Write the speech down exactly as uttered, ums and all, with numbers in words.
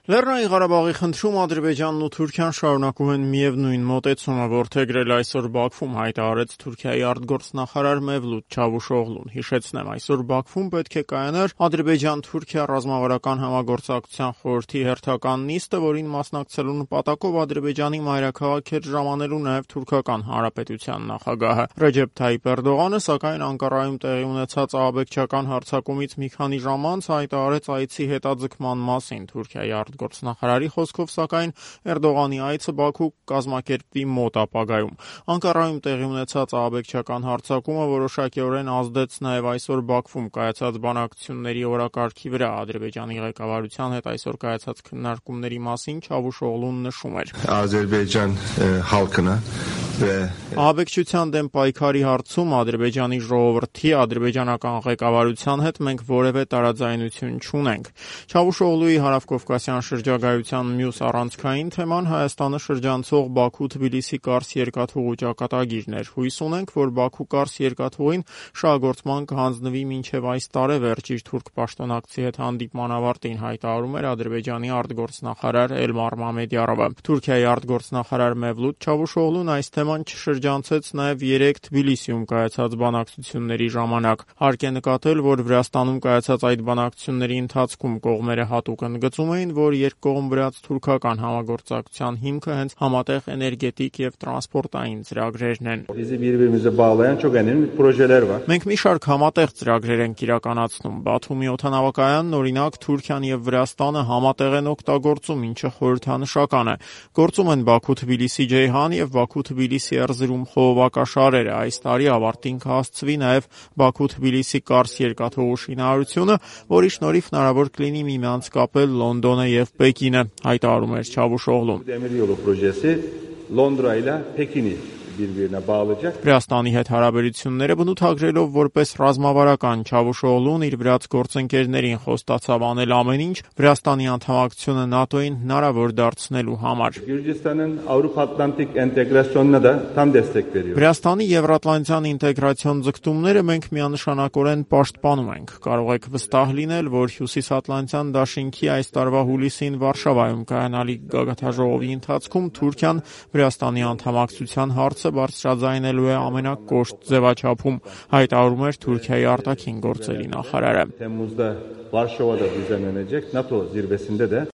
Լեռնային Ղարաբաղի խնդրում Ադրբեջանն ու Թուրքիան շարունակում են միևնույն մոտեցումը որդեգրել այսօր Բաքվում, հայտարարեց Թուրքիայի արտգործնախարար Մևլութ Չավուշօղլուն։ Հիշեցնեմ, այսօր Բաքվում պետք է կայանար Ադրբեջան-Թուրքիա ռազմավարական համագործակցության խորհրդի հերթական նիստը, որին մասնակցելու նպատակով Ադրբեջանի մայրաքաղաք էր ժամանելու նաև Թուրքական Հանրապետության նախագահը։ Ռեջեփ Թայիփ Էրդողանը, սակայն Անկարայում տեղի ունեցած ահաբեկչական հարձակումից մի քանի ժամ անց հայտարարեց այցի հետաձգման մասին։ Թուրքիայի արտգործնախարարի խոսքով, սակայն Էրդողանի այցը Բաքու կազմակերպվի մոտ ապագայում։ Անկարայում տեղի ունեցած ահաբեկչական հարձակումը որոշակիորեն ազդեց նաև այսօր Բաքվում կայացած բանակցությունների օրակարգի վրա։ Ադրբեջանի ղեկավարության հետ այսօր կայացած քննարկումների մասին Չավուշօղլուն նշում էր. Ադրբեջան halkına Ահաբեկչության դեմ պայքարի հարցում Ադրբեջանի ժողովրդի, ադրբեջանական ղեկավարության հետ մենք որևէ տարաձայնություն չունենք։ Չավուշօղլուի հարավկովկասյան շրջագայության մյուս առանցքային թեման Հայաստանը շրջանցող Բաքու-Թբիլիսի Կարս երկաթուղու ճակատագիրն էր։ Հույս ունենք, որ Բաքու-Կարս երկաթուղին շահագործման կհանձնվի մինչև այս տարեվերջ։ Իր թուրք պաշտոնակցի հետ հանդիպման ավարտին հայտարարում էր Ադրբեջանի արտգործնախարար Էլմար Մամեդյարովը։ Թուրքիայի արտգործնախարար Մևլութ Չավուշօղլուն այս թեման չշրջանցեց նաև երեկ Թբիլիսիում կայացած բանակցությունների ժամանակ։ Հարկ է նկատել, որ Վրաստանում կայացած այդ բանակցությունների ընթացքում կողմերը հատուկ ընդգծում էին, որ երկկողմ-վրաց թուրքական համագործակցության հիմքը հենց համատեղ էներգետիկ եւ տրանսպորտային ծրագրերն են։ Մենք մի շարք համատեղ ծրագրեր ենք իրականացնում։ Բաթումի օդանավակայանն, օրինակ, Թուրքիան եւ Վրաստանը համատեղ են օգտագործում, ինչը խորհրդանշական է։ Գործում են Բաքու-Թբիլիսի Ջեյհան եւ Բաքու-Թբիլիսի Էրզրում խողովակաշարերը։ Այս տարի ավարտին կհասցվի նաև Բաքու-Թբիլիսի Կարս երկաթուղու շինարարությունը, որի շնորհիվ հնարավոր կլինի միմյանց կապել Լոնդոնը եւ Պեկինը, հայտարարում էր Չավուշօղլուն։ Վրաստանի հետ հարաբերությունները բնութագրելով որպես ռազմավարական Չավուշօղլուն իր վրաց գործընկերներին խոստացավ անել ամեն ինչ Վրաստանի անդամակցությունը ՆԱՏՕ-ին հնարավոր դարձնելու համար։ Վրաստանի Եվրատլանտյան ինտեգրացիոն ձգտումները մենք միանշանակորեն պաշտպանում ենք։ Կարող եք վստահ լինել, որ Հյուսիսատլանտյան դաշինքի այս տարվա հուլիսին Վարշավայում կայանալիք գագաթնաժողովի ընթացքում Թուրքիան Վրաստանի անդամակցության հարցը բարձրաձայնելու է ամենակոշտ ձևաչափում, հայտարարում էր Թուրքիայի արտաքին գործերի նախարարը։